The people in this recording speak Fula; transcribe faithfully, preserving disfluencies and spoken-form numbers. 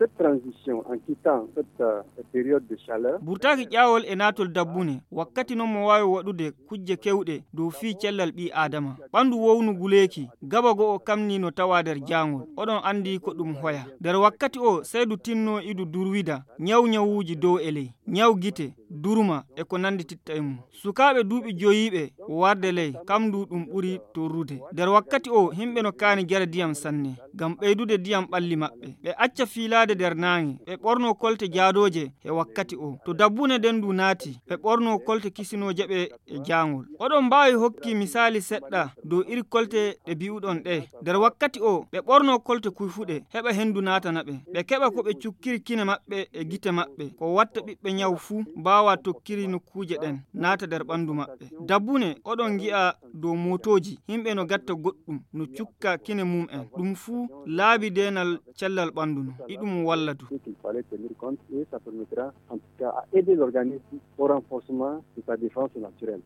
Cette transition, en quittant cette euh, période de chaleur, burtaaki ƴaawol e naatol dabbune, wakkati noon mo waawi waɗude kujje keewɗe dow fii cellal ɓii aadama. Ɓanndu wownu guleeki, gaba go'o kamni no tawaa nder jaangol. Oɗon anndi ko ɗum hoya. Nder wakkati o, seydu tinno idu durwida, ñaw ñawuuji dow e ley, ñaw gite, durma e ko nanndi titta e mum. Sukaaɓe duuɓi joyiiɓe warde ley, kam ndu ɗum ɓuri torrude. Nder wakkati o, himɓe no kaani jara diyam sanne, ngam ɓeydude diyam ɓalli maɓɓe. Ɓe acca fiilaade nder naange, ɓe ɓorno kolte jaadooje e wakkati o. To dabbune nden ndu naati, ɓe ɓorno kolte kisinooje ɓe e jaangol. Oɗon mbaawi hokki misaali seɗɗa dow iri kolte ɗe bi'uɗon ɗe. Nder wakkati o, ɓe ɓorno kolte kuyfuɗe, heɓa henndu naatana ɓe. Ɓe keɓa ko ɓe cukkiri kine maɓɓe e gite maɓɓe. Ko watta ɓiɓɓe ñaw fuu mbaawa tokkiri nokkuuje ɗen, naata nder ɓanndu maɓɓe. Dabbune, oɗon ngi'a dow mootooji, himɓe no gatta goɗɗum, no cukka kine mum en. Ɗum fuu laabi deenal cellal ɓanndu no, iɗum walla du. Ce qu'il fallait tenir compte et ça permettra en tout cas à aider l'organisme au renforcement de sa défense naturelle.